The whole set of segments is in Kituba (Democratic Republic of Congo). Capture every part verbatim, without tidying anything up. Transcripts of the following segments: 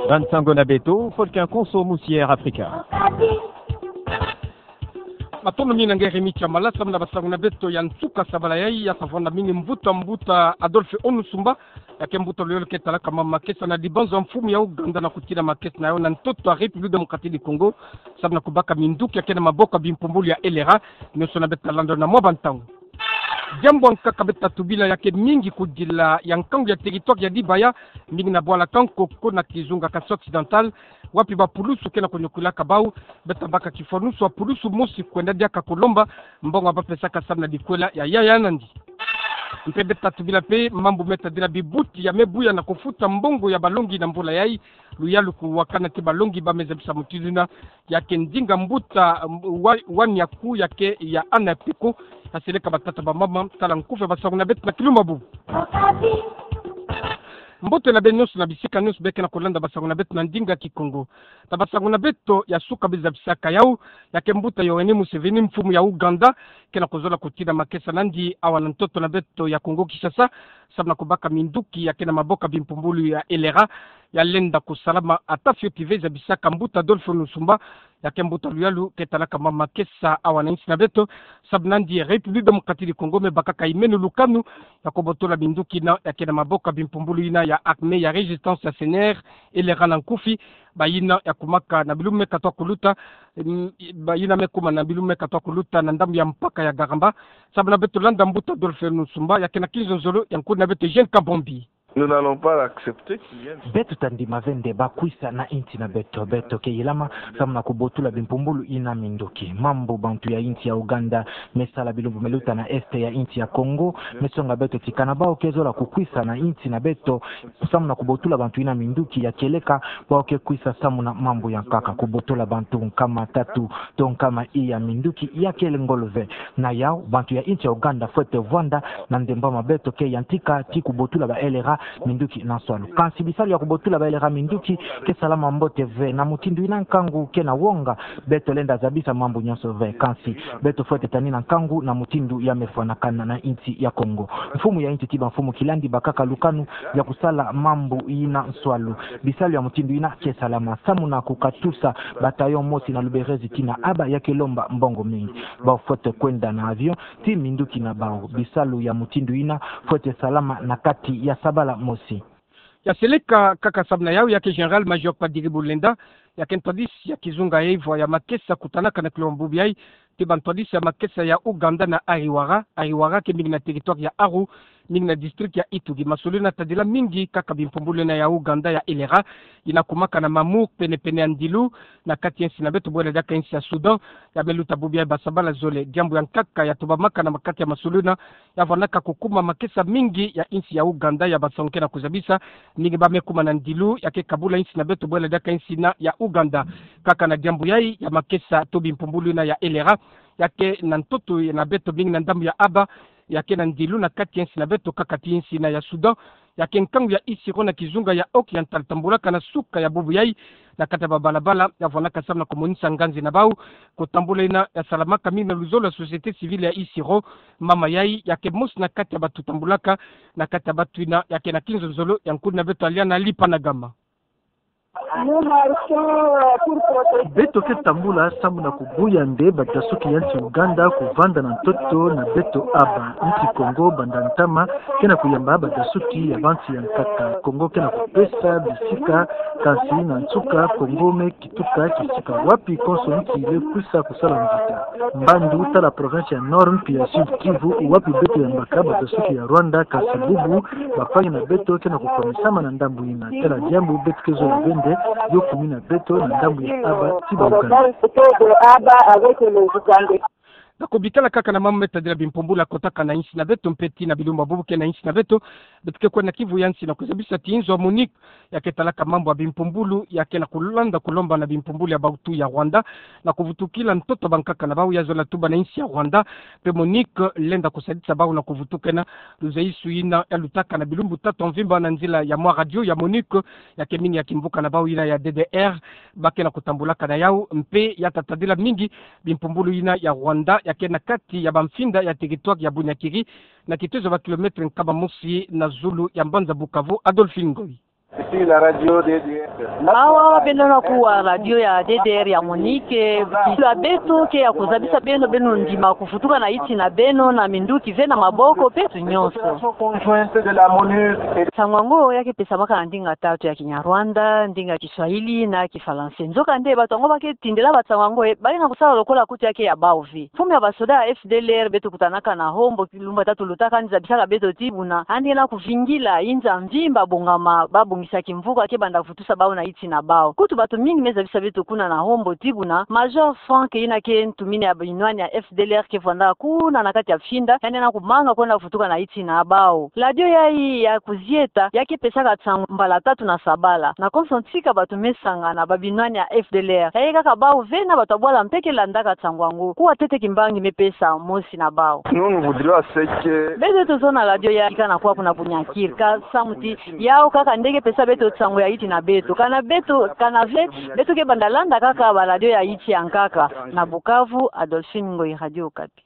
Bansango na beto, Folkin Konso, Musière Afrika. Matondo mingi na nge Rémy Tshamala, samu na basango na beto ya nsuka sabala yayi, ya savona mingi mbuta, mbuta Adolphe Onusumba, ya ke mbuta luyolo ke talaka mama makesa na dibanzo ya mfumu ya Ouganda na kutina makesa na yo na ntoto ya République Démocratique du Congo, samu na kubaka minduki ya ke na maboko ya bimpumbulu ya L R A, nionso na beto landa na mwa bantangu. Diambu ya nkaka beto tubila ya ke mingi kudila ya nkangu ya territoire ya Dibaya, mingi na bwala Kankoko na kizunga Kasai Occidental, wapi bapulusu ke na kunyukulaka bau, beto tabaka kifwanusu ya pulusu mosi kwenda diaka kulomba mbongo ya bapesaka samu na bikwela ya yaya nandi. Mpe beto tubila mpe mambu me tadila bibuti ya me buya na kufuta mbongo ya balongi na mbula yayi, luyalu kuwakana ti balongi ba me zabisa mutindu yina, ya ke ndinga mbuta, wa-, wani ya ku ya ke ya ana piko, ya seleka batata bamama, tala nkufi ya basango na beto na kilumbu bubu. Mbote na beno nionso na bisika nionso be ke na kulanda basango na beto na ndinga Kikongo. Ta basango na beto ya suka be zabisaka yau, ya ke mbuta Yoweri Museveni, mfumu ya Ouganda, ke na kuzola kutina makesa nandi awa na ntoto na beto ya Kongo Kinshasa, samu na kubaka minduki ya ke na maboko ya bimpumbulu ya L R A, ya lenda kusalama ata fioti ve, zabisaka mbuta Adolphe Onusumba, ya ke mbuta luyalu ke talaka mama makesa awa na insi na beto, samu nandi République Démocratique du Congo me bakaka imenu lukanu ya kubotola minduki yina ya ke na maboko ya bimpumbulu yina ya Armée ya Résistance ya C N R, L R A na nkufi, bayina ya kumaka na bilumbu me katuka kuluta, mm, bayina me kuma na bilumbu me katuka kuluta na ndambu ya mpaka ya Garamba. Samu na beto landa mbuta Adolphe Onusumba, ya ke na kinzonzolo ya nkulu na beto Eugène Kabombi. Nous n'allons pas accepter qu'ils viennent. Beto tandima ve nde bakwisa na insi na beto. Beto ke yilama samu na kubotula bimpumbulu yina minduki. Mambu bantu ya insi ya Ouganda me sala bilumbu me luta na est ya insi ya Kongo, me songa beto ti kana bau ke zola kukwisa na insi na beto, samu na kubotula bantu yina minduki, ya kieleka bau ke kwisa samu na mambu ya nkaka. Kubotula bantu nkama tatu to nkama iya minduki ya kele ngolo ve. Na yau, bantu ya insi ya Ouganda fwete vwanda na ndemba ma beto ke yantika ti kubotula ba L R A minduki na nswalu. Kansi bisalu ya kubotula ba L R A minduki ke salama mbote ve. Na mutindu yina nkangu ke na wonga, beto lenda zabisa mambu nionso ve. Kansi beto fwete tanina nkangu na mutindu ya me fwanakana na insi ya Kongo. Mfumu ya insi ti bamfumu kilandi bakaka lukanu ya kusala mambu yina nswalu. Bisalu ya mutindu yina ke salama samu na kukatusa bataillon mosi na Luberizi tii na Aba, ya ke lomba mbongo mingi. Bau fwete kwenda na avion ti minduki na bau. Bisalu ya mutindu yina fwete salama na kati ya sabala mosi. Ya seleka kaka samu na yau, ya ke Général-Major Padiri Bulenda, ya ke ntwadisi ya kizunga ya ivwa ya makesa kutanaka na kilumbu bubu yayi ti bantwadisi ya makesa ya Ouganda na Ariwara. Ariwara ke mingi na territoire ya Aru, mingi na district ya Ituri. Masolo yina tadila mingi kaka bimpumbulu yina ya Ouganda ya L R A, yina kumaka na Mamour, pene-pene ya ndilu, na kati ya insi na beto bwela diaka insi ya Soudan. Ya me luta bubu yayi basabala zole. Diambu ya nkaka ya tubamaka na kati ya masolo yina, ya vwanaka kukuma makesa mingi ya insi ya Ouganda ya basango ke na kuzabisa, mingi ba me kuma na ndilu ya ke kabula insi na beto bwela diaka insi yina ya Ouganda. Kaka na diambu yayi ya makesa to bimpumbulu yina ya L R A, ya ke na ntoto na beto mingi na ndambu ya Aba, ya ke na ndilu na kati ya insi na beto kaka ti insi yina ya Soudan, ya ke nkangu ya Isiro na kizunga ya Oriental tambulaka na suka ya bubu yayi, na kati ya babalabala, ya vwanaka samu na kumonisa nganzi na bau, kutambula yina ya salamaka mingi na luzolo ya société civile ya Isiro. Mama yayi ya ke mosi na kati ya bantu tambulaka na kati ya bantu yina ya ke na kinzonzolo ya nkulu na beto Aliana Lipanagama. Beto ke tambula samu na kubuya nde badasuki ya insi Ouganda kuvanda na ntoto na beto Aba. Insi Kongo banda ntama ke na kuyamba badasuki ya bansi ya nkaka. Kongo ke na kupesa bisika, kansi na nsuka Kongo me kituka kisika wapi konso insi ile kwisa kusala mvita. Mbandu tala province ya Nord mpi ya Sud Kivu, wapi beto yambaka badasuki ya Rwanda, kansi bubu bampangi na beto ke na kukwamisama na ndambu yina. Tala diambu beto ke zola ve nde yo kumi na beto na ndambu ya Aba ti ba Ouganda. Na kubikala kaka na mambu me tadila bimpumbulu ya kotaka na insi na beto mpe ti na bilumbu bubu ke na insi na beto, beto ke kwenda na kivu ya nsi na kuzabisa ti nzo ya MONUC ya ke talaka mambu ya bimpumbulu ya ke na kulanda kulomba na bimpumbulu ya bantu ya Rwanda na kuvutukila ntoto bankaka na bau ya zola tuba na insi ya Rwanda. Mpe MONUC lenda kusadisa bau na kuvutukena luzaisu yina ya lutaka na bilumbu tatu ya mvimba na nzila ya mwa radio ya MONUC ya ke mingi ya kimvuka na bau yina ya D D R ba ke na kutambulaka na yau, mpe ya tatadila mingi bimpumbulu yina ya Rwanda ya ke na kati ya bamfinda ya territoire ya Bunyakiri, na kitezo ba kilomètre nkama mosi na zulu ya mbanza Bukavu. Adolphine Ngoyi. Ici la radio D D R. Awa beno na kuwa radio ya D D R ya Monique, kilu ya beto ke ya kuzabisa beno, beno ndima kufutuka na iti na beno na minduki ve na maboko mpe tu nyonso. Conjointe de la MONUC et... Nsangu yango ya ke pesamaka na ndinga tatu, ya Kinyarwanda, ndinga Kiswahili na Kifalanse. Nzokande bato yango ba ke tindela bansangu yango, e, ba lenda kusala lokola kutu ya ke ya bawu ve. Mfumu ya basoda ya F D L R beto kutanaka na Hombo kilumbu tatu lutaka, yandi zabisaka beto ti buna yandi ke na kuvingila inza mvimba bongama, ba bongisa kimvuka ke banda kuvutusa bawu na iti na bawu. Kutu bato mingi me zabisa beto kuna na Hombo ti buna Major Franck, yina ke ntumini ya binwani ya F D L R ke vwanda kuna na kati ya Finda, yandi ke na kumanga kwenda vutuka na iti na bawu. Radio yayi ya kuzieta ya ke pesaka nsangu mbala tatu na sabala. Na konso ntika bato me sangana, ba binwani ya F D L R, ya ke kaka bawu ve na bato ya bwala mpe ke landaka nsangu yango. Kuwa ntete kimbangi me pesa mosi na bawu. Nous, nous voudrions ce que... Beto tozolo na radio yayi kana kwa kuna Bunyakiri, ka samu ti yawu kaka nde ke pesa beto nsangu ya iti na beto. Kana beto, kana ve, beto ke banda landa kaka ba radio ya iti ya nkaka. Na Bukavu, Adolphine Ngoyi, Radio Okapi.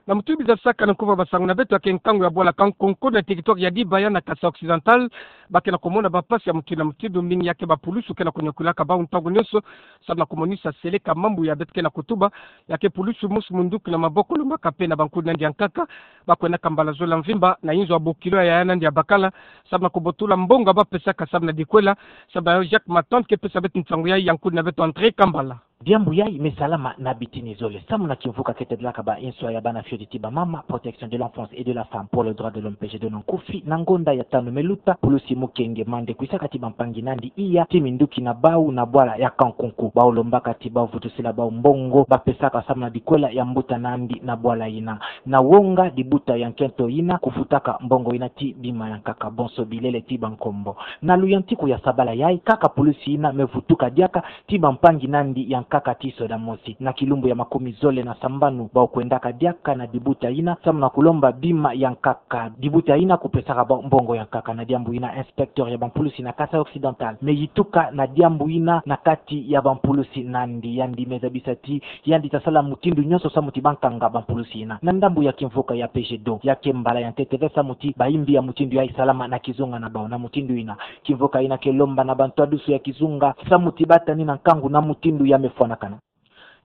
Na mutindu zabisaka na nkufi ya basangu na beto, ya ke nkangu ya bwala Kankonko na territoire ya Dibaya na Kasaï Occidental, ba ke na kumona bampasi ya mutindu na mutindu, mingi ya ke bapulusu ke na kuniokulaka bawu ntangu nyonso, samu na kumonisa seleka mambu ya beto ke na kutuba. Ya ke pulusu mosi munduki na maboko, lombaka mpe na bankundi na yandi ya nkaka, ba kwendaka mbala zole ya mvimba na inzo ya bokilo ya yaya na yandi ya bakala, samu na kubotola mbongo ba pesaka samu na dikwela. Samu na yo, Jacques Matand ke pesa beto nsangu yayi ya nkundi na beto André Kambala. Diambu yayi me salama na bitini zole. Samu na kimvuka ke tedelaka ba inswa ya bana fioti ti bamama, Protection de l'enfance et de la femme pour le droit de l'homme, P G D O, na nkufi, na ngonda ya tanu me luta, pulusi mukenge Mande kwisaka ti bampangi na yandi iya ti minduki na bawu na bwala ya Kankonko. Bawu lombaka ti bawu vutusila bawu mbongo ba pesaka samu na dikwela ya mbuta na yandi na bwala yina. Na wonga dibuta ya nkento yina kufutaka mbongo yina ti bima ya nkaka, bonso bilele ti bankombo. Na luyantiku ya sabala yayi kaka pulusi yina me vutuka diaka ti bampangi na yandi ya nkaka ti soda mosi. Na kilumbu ya makumi zole na sambanu, bawu kwendaka diaka na dibuta yina samu na kulomba bima ya nkaka. Dibuta yina kupesaka bawu mbongo ya nkaka. Na diambu yina, inspecteur ya bampulusi na Kasaï Occidental me yituka na diambu yina na kati ya bampulusi na yandi. Yandi me zabisa ti yandi ta sala mutindu nyonso samu ti ba kanga bampulusi yina. Na ndambu ya kimvuka ya P G D O, ya ke mbala ya ntete ve samu ti bayimbi ya mutindu yayi salama na kizunga na bawu. Na mutindu yina, kimvuka yina ke lomba na bantwadisi ya kizunga samu ti ba tani na nkangu na mutindu ya me fwanakana.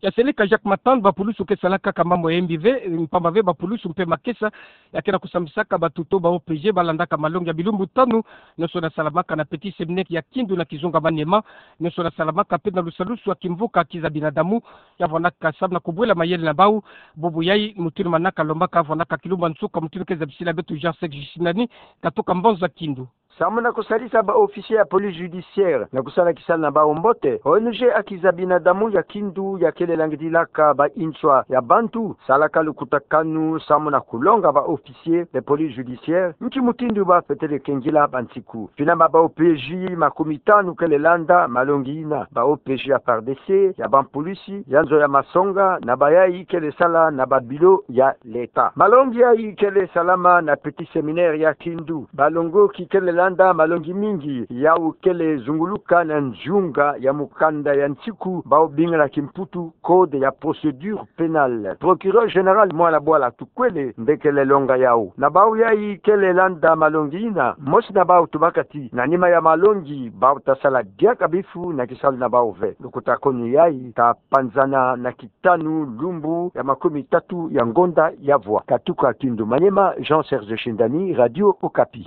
Ya seleka Jacques Matand, bapulusu ke salaka kaka mambu ya yimbi ve, mpamba ve bapulusu mpe makesa ya ke na kusambisaka batuto ba O P G ba landaka malongi ya bilumbu tanu, nyonso na salamaka na Petit Séminaire ya Kindu na kizunga Maniema, nyonso na salamaka mpe na lusalusu ya kimvuka Kiza Binadamu, ya vwandaka samu na kubwela mayele na bawu. Bubu yayi, mutindu manaka lombaka, vwandaka kilumbu ya nsuka, mutindu ke zabisila beto Jean Sec Justinani, katuka mbanza Kindu. Samu na kusalisa ba officier ya police judiciaire na kusala kisalu na bawu mbote, O N G ya Kiza Binadamu ya Kindu ya kele langidilaka ba inswa ya bantu, salaka lukutakanu samu na kulonga ba officier de police judiciaire nki mutindu ba fwetele kengila bansiku. Finama ba O P J makumi tanu kele landa malongi yina. Ba O P J ya FARDC, ya bampulusi, ya nzo ya masonga, na bayayi kele sala na ba bureau ya l'État. Malongi yayi kele salama na Petit Séminaire ya Kindu. Balongoki kele landa malongi mingi, yawu kele zunguluka na nzunga ya mukanda ya nsiku bawu bingana kimputu code ya procédure pénale. Procureur général mwana bwala tukwele nde kele longa yawu. Na bawu yayi kele landa malongi yina, mosi na bawu tubaka ti na nima ya malongi, bawu ta sala diaka bifu na kisalu na bawu ve. Lukutakanu yayi ta panzana na ki tanu lumbu ya makumi tatu ya ngonda ya vwa. Katuka Kindu Maniema, Jean Serge Shindani, Radio Okapi.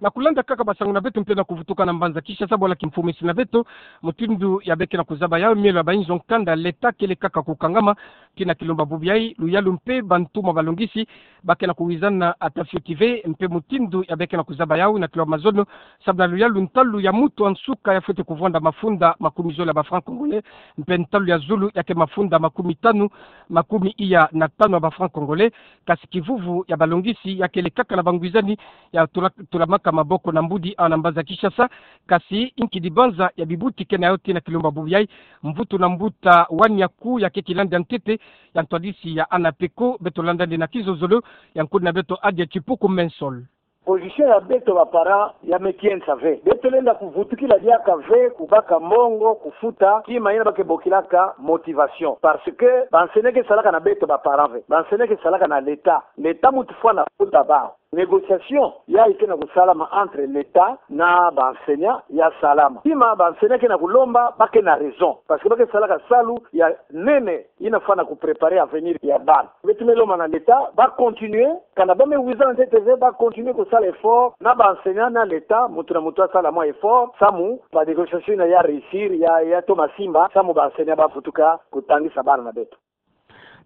Na kulanda kaka basangu na beto mpe na kuvutuka na mbanza Kinshasa, bwala kimfumisi na beto, mutindu ya beke na kuzaba yawu, mielo ya ba inzo nkanda l'État kele kaka kukangama. Tii na kilumbu ya bubu yayi, luyalu mpe bantu ma balongisi ba ke na kuwizana ata fioti ve, mpe mutindu ya beke na kuzaba yawu na kilumbu ya mazono, samu na luyalu, ntalu ya mutu ya nsuka ya fwete kuvonda mafunda makumi zole ya ba francs congolais, mpe ntalu ya zulu ya ke mafunda makumi tanu, makumi iya na tanu ya ba francs congolais. Kasi kivuvu ya balongisi ya kele kaka na bangwizani ya tula-, tulamaka maboko na mbudi awa na mbanza Kinshasa. Kasi inki dibanza ya bibuti ke na yawu tii na kilumbu ya bubu yayi? Mvutu na mbuta Waniaku ya ke kilandi ya ntete ya ntwadisi ya ANAPECO, beto landa nde na kizozolo ya nkudi na beto Adia Tshipuku Mensol. Position ya beto ba parents ya me kiensa ve. Beto lenda kuvutukila diaka ve kubaka mbongo kufuta kima yina ba ke bokilaka motivation. Parce que bansoni ke salaka na beto ba parents ve. Bansoni ke salaka na l'État. L'État mutu fwana futa bawu. Négociation ya ike na kusalama entre l'État na ba enseignants ya salama. Tima ba enseignants ke na kulomba, ba ke na raison. Parce que ba ke salaka salu ya nene, ina fana ku préparer avenir ya bana. Beto me lomba na l'État ba continuer, kana ba me wiza na ntete ve, ba continuer kusala effort, na ba enseignants na l'État, mutu na mutu asala mwa effort, samu ba négociation ina ya réussir, ya, ya toma simba, samu ba enseignants ba vutuka kutangisa bana na beto.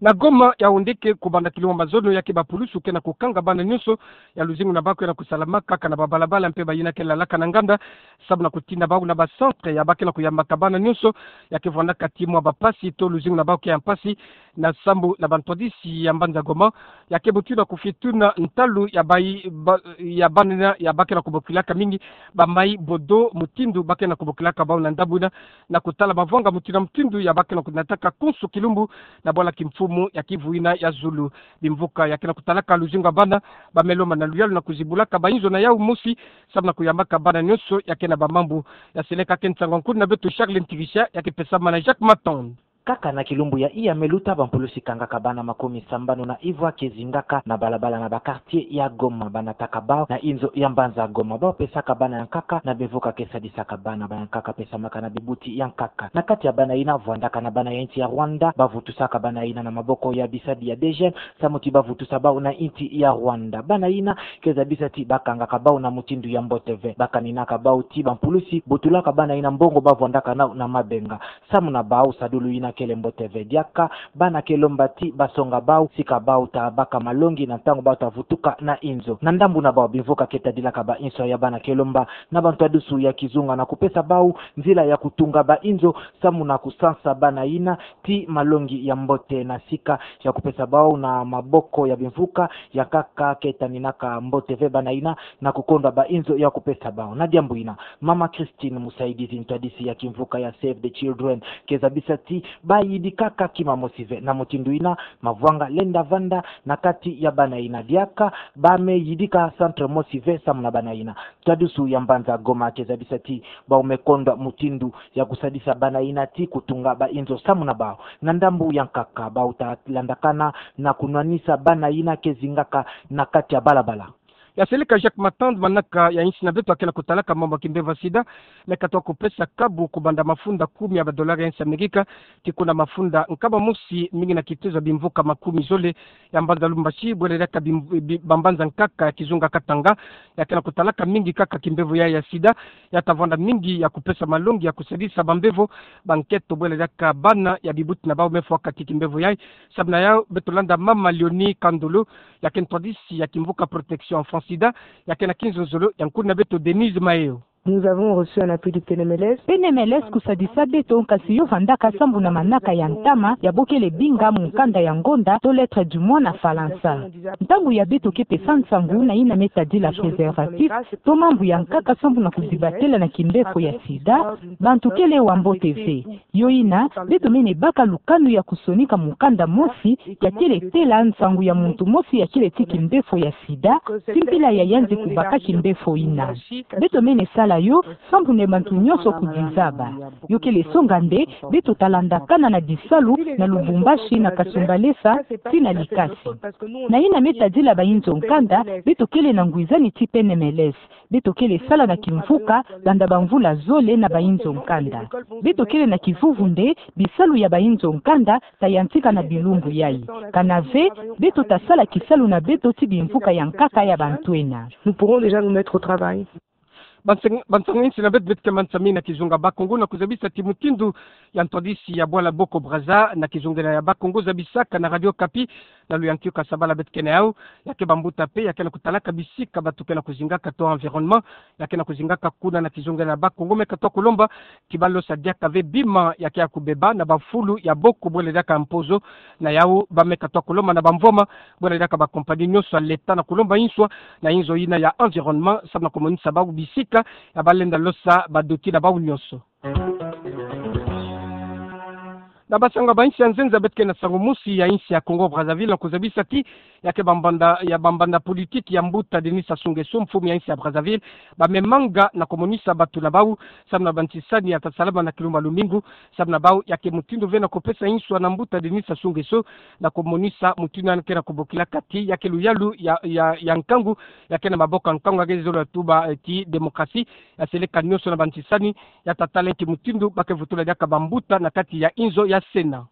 Na Goma, Yaoundé ke kubanda kilumbu ya mazono ya ke ba pulusu ke na kukanga bana nyonso ya luzingu na bau ke na kusalamaka kaka na ba balabala mpe bayina ke lalaka na nganda, samu na kutinda bau na ba centre ya ba ke na kuyambaka bana nyonso ya ke vwandaka ti mwa ba mpasi to luzingu na bau ke ya mpasi, na sambu na ba ntwadisi ya mbanza Goma ya ke buti na kufituna ntalu ya bayi, ba, ya bana ya ba ke na kubokilaka mingi ba mayi bodo, mutindu ba ke na kubokilaka bau na ndambu ina, na kutala mavwanga mutindu na mutindu ya ba ke na kunataka konso kilumbu na bwala kimfumu ya kivu ina ya zulu. Bimvuka ya ke na kutalaka luzingu ya bana ba me lomba na luyalu na kuzibulaka ba inzo na yau mosi, samu na kuyambaka bana nyonso ya ke na ba mambu. Ya seleka ke nsangu ya nkuna beto Charles Ntigisha ya ke pesama na Jacques Maton. Kaka na kilumbu ya iya me luta, ba mpulusi kangaka bana makumi sambanu na ivwa ke zingaka na balabala na ba quartier ya Goma, ba nataka bau na inzo ya mbanza Goma. Bau pesaka bana ya nkaka na bimvuka ke sadisaka bana, ba ya nkaka pesamaka na bibuti ya nkaka. Na kati ya bana ina, vwandaka na bana ya insi ya Rwanda, ba vutusaka bana ina na maboko ya bisadi ya DGM, samu ti ba vutusa bau na insi ya Rwanda. Bana ina ke zabisa ti ba kangaka bau na mutindu ya mbote ve. Ba kaninaka bau ti ba mpulusi butulaka bana ina mbongo ba vwandaka nao na mabenga. Samu na bau, sadulu ina kele mbote ve. Diaka bana ke lomba ti ba songa bau sika bau ta baka malongi na ntangu bau ta vutuka na inzo. Na ndambu na bau, bimvuka ke tadilaka ba inso ya bana ke lomba na ba ntwadusu ya kizunga na kupesa bau nzila ya kutunga ba inzo, samu na kusansa bana ina ti malongi ya mbote na sika ya kupesa bau na maboko ya bimvuka ya nkaka ke taninaka mbote ve bana ina na kukondwa ba inzo ya kupesa bau. Na diambu ina, Mama Christine Musaidizi, ntwadisi ya kimvuka ya Save the Children, ke zabisa ti ba yidikaka kima mosi ve. Na mutindu ina, mavwanga lenda vanda na kati ya bana ina. Diaka ba me yidika centre mosi ve samu na bana ina. Ntwadusu ya mbanza Goma ke zabisa ti bau me kondwa mutindu ya kusadisa bana ina ti kutunga ba inzo samu na bau. Na ndambu ya nkaka, bau ta landakana na kunwanisa bana ina ke zingaka na kati ya balabala. Ya seleka Jacques Maton, manaka ya insi na beto ya ke na kutalaka mambu ya kimbevo ya sida me katoa kupesa kabu kubanda mafunda kumi ya ba dollar ya insi Amerika ti kuna mafunda nkama mosi, mingi na kituza bimvuka makumi zole ya mbanza Lubumbashi, bwele diaka bim-, bi-, ba mbanza nkaka ya kizunga Katanga, ya ke na kutalaka mingi kaka kimbevo ya, ya sida, ya ta vwanda mingi ya kupesa malongi ya kusadisa ba mbevo, ba nketo, bwele diaka bana ya bibuti na bau me fwaka ti kimbevo ya. Samu na yau, beto landa Mama Léonie Kandolo, ya ke ntwadisi ya kimvuka Protection Enfant Sida, ya ke na kinzonzolo ya nkuna beto Denise Maeo. Nous avons reçu un appui du P N M L S. P N M L S kusadisa beto, kasi yo vandaka sambu na manaka ya ntama ya bokele binga mukanda ya ngonda to lettre du mois na Falansa. Ntangu ya beto ke pesa nsangu na ina me tadila préservatif to mambu ya nkaka sambu na kudibatela na kimbefo ya sida, bantu kele wa mbote ve. Yo ina, beto mene baka lukanu ya kusonika mukanda mosi ya kele tela nsangu ya muntu mosi ya kele ti kimbefo ya sida, ti mpila ya yanzi kubaka kimbefo ina. Beto mene sala yo sambu na bantu nyonso kudizaba. Yo kele songa nde beto ta landakana na bisalu na Lubumbashi, na Kasumbalesa, ti na Likasi. Na ina me tadila ba inzo nkanda, beto kele na ngwizani ti P N M L S. Beto kele sala na kimvuka banda ba mvula zole na ba inzo nkanda. Beto kele na kivuvu nde bisalu ya ba inzo nkanda ta yantika na bilumbu yai. Kana ve, beto ta sala kisalu na beto ti bimvuka ya nkaka ya bantu ena. Nous pourrons déjà nous mettre au travail. Bansang-, bansangu insi na beto, beto ke mansa mingi na kizunga Bas-Congo na kuzabisa ti mutindu ya ntwadisi ya bwala Boko Brazza na kizungela ya Bas-Congo zabisaka na Radio Okapi, na luyantika sabala beto ke na yau, ya ke bambuta mpe ya ke na kutalaka bisika bato ke na kuzingaka to environnement, ya ke na kuzingaka kuna na kizungela ya Bas-Congo, me katoa kulomba ti balosa diaka ve bima ya ke ya kubeba na bafulu ya boko bwele diaka mpozo. Na yau ba me katoa kulomba na bamvwama bwele diaka ba compagnie nyonso ya l'État na kulomba inswa na inzo ina ya environnement, samu na kumonisa bau bisika ya balenda losa badoti na bau nyonso. Na basango ya bainsi ya nzenza, beto ke na sango mosi ya insi ya Congo Brazzaville, na kozabisa ti ya ke bambanda, ya bambanda politiki ya mbuta Denis Sassou Nguesso, mfumu ya insi ya Brazzaville, ba me manga na komonisa bato na bau, samu na bantisani ya ta salama na kilumba lumingu, samu na bau ya ke mutindu ve na kopesa inswa na mbuta Denis Sassou Nguesso, na komonisa mutindu yandi ke na kobokila kati ya ke luyalu ya, ya, ya nkangu, ya ke na maboko ya nkangu, ya ke zolo ya tuba, eh, ti démocratie, ya seleka nionso na bantisani ya ta tala nki mutindu ba ke vutula diaka bambuta na kati ya inzo ya Sénat.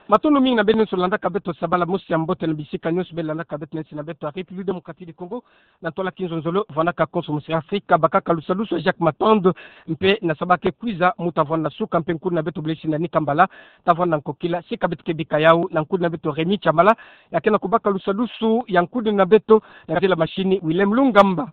Matondo mingi na beno nionso landaka beto sabala mosi ya mbote na bisika nionso beno landaka beto na insi na beto ya République Démocratique du Congo, na ntwala kinzonzolo, vwanaka konso mosi ya Afrika, bakaka lusalusu ya Jacques Matand, mpe na saba ke kwiza mu ta vwanda na suka, mpe nkundi na beto Blaise Ndani Kambala ta vwanda na nkokila. Sika beto ke bika yau na nkundi na beto Rémy Tshamala, ya ke na kobaka lusalusu ya nkundi na beto, na kati la mashini Willem Lungamba.